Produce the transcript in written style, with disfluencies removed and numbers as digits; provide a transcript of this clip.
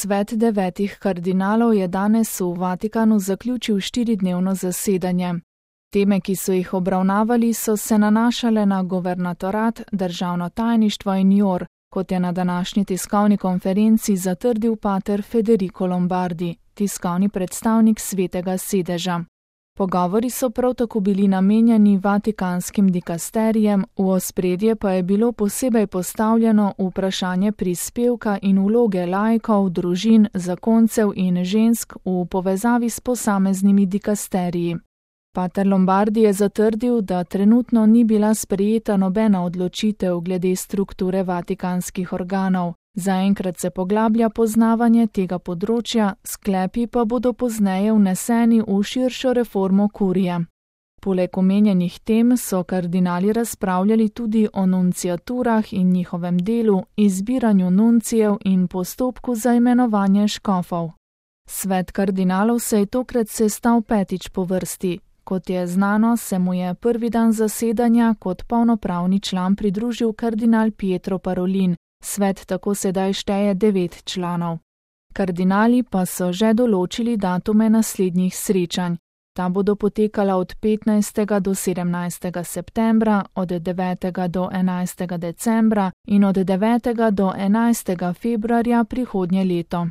Svet 9 kardinalov je danes v Vatikanu zaključil 4-dnevno zasedanje. Teme, ki so jih obravnavali, so se nanašale na guvernatorat, državno tajništvo in JOR, kot je na današnji tiskovni konferenci zatrdil pater Federico Lombardi, tiskovni predstavnik Svetega sedeža. Pogovori so prav tako bili namenjeni vatikanskim dikasterijem, v ospredje pa je bilo posebej postavljeno vprašanje prispevka in vloge laikov, družin, zakoncev in žensk v povezavi s posameznimi dikasteriji. Pater Lombardi je zatrdil, da trenutno ni bila sprejeta nobena odločitev glede strukture vatikanskih organov. Zaenkrat se poglablja poznavanje tega področja, sklepi pa bodo pozneje vneseni v širšo reformo kurije. Poleg omenjenih tem so kardinali razpravljali tudi o nunciaturah in njihovem delu, izbiranju nuncijev in postopku za imenovanje škofov. Svet kardinalov se je tokrat sestal 5. po vrsti. Kot je znano, se mu je prvi dan zasedanja kot polnopravni član pridružil kardinal Pietro Parolin. Svet tako sedaj šteje 9 članov. Kardinali pa so že določili datume naslednjih srečanj. Ta bodo potekala od 15. do 17. septembra, od 9. do 11. decembra in od 9. do 11. februarja prihodnje leto.